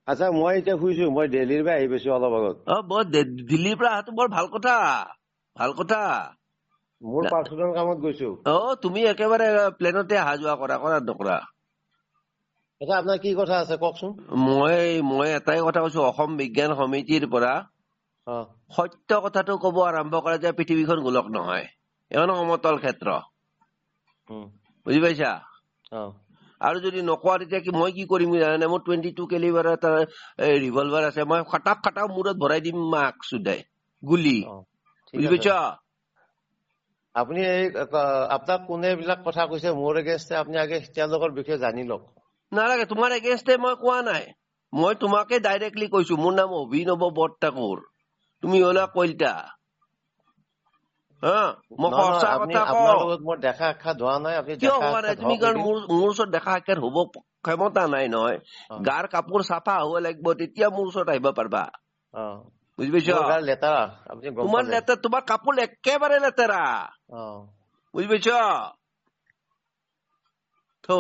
আচ্ছা, মই এতিয়া শুইছো, মই দিল্লীৰ পৰা আহি পাইছো অলপ আগত। অ, বৰ দিল্লীৰ পৰা অহাটো বৰ ভাল কথা, ভাল কথা। মোৰ পাৰ্চনেল কামত গৈছো। অ, তুমি একেবাৰে প্লেনতে অহা যোৱা কৰা, কৰা নকৰা? আচ্ছা, আপোনাৰ কি কথা আছে কওকচোন। মই এটাই কথা কৈছো, অসম বিজ্ঞান সমিতিৰ পৰা সত্য কথাটো কব আৰম্ভ কৰা যে পৃথিৱীখন গোলক নহয়, এখন সমতল ক্ষেত্ৰ। বুজি পাইছা? আৰু যদি নকোৱা তেতিয়া কি মই কি কৰিম জানানে? মোৰ 22 কেলিবাৰ এটা ৰিভলভাৰ আছে, মই খটাপ খটাপ মূৰত ভৰাই দিম মাক চুদাই গুলি। বুজি পাইছা? আপুনি এই আপোনাক কোনে এইবিলাক কথা কৈছে মোৰ এগেইনষ্টে, আপুনি আগে তেওঁলোকৰ বিষয়ে জানি লওক। নালাগে, তোমাৰ এগেইনষ্টে মই কোৱা নাই, মই তোমাকে ডাইৰেক্টলি কৈছো। মোৰ নাম অভিনৱ বৰঠাকুৰ, তুমি হলা কলিতা। হা, মই সঁচা কথা কওঁ। মোৰ দেখা সাক্ষাৎ হোৱা নাই। কিয় হোৱা নাই? তুমি কাৰণ মোৰ ওচৰত দেখা সাক্ষাৎ হ'ব ক্ষমতা নাই নহয়। গাৰ কাপোৰ চাফা হ'ব লাগিব, তেতিয়া মোৰ ওচৰত আহিব পাৰিবা। বুজি পাইছ? লেতেৰা, তোমাৰ লেতেৰা, তোমাৰ কাপোৰ একেবাৰে লেতেৰা। বুজি পাইছ? থৌ।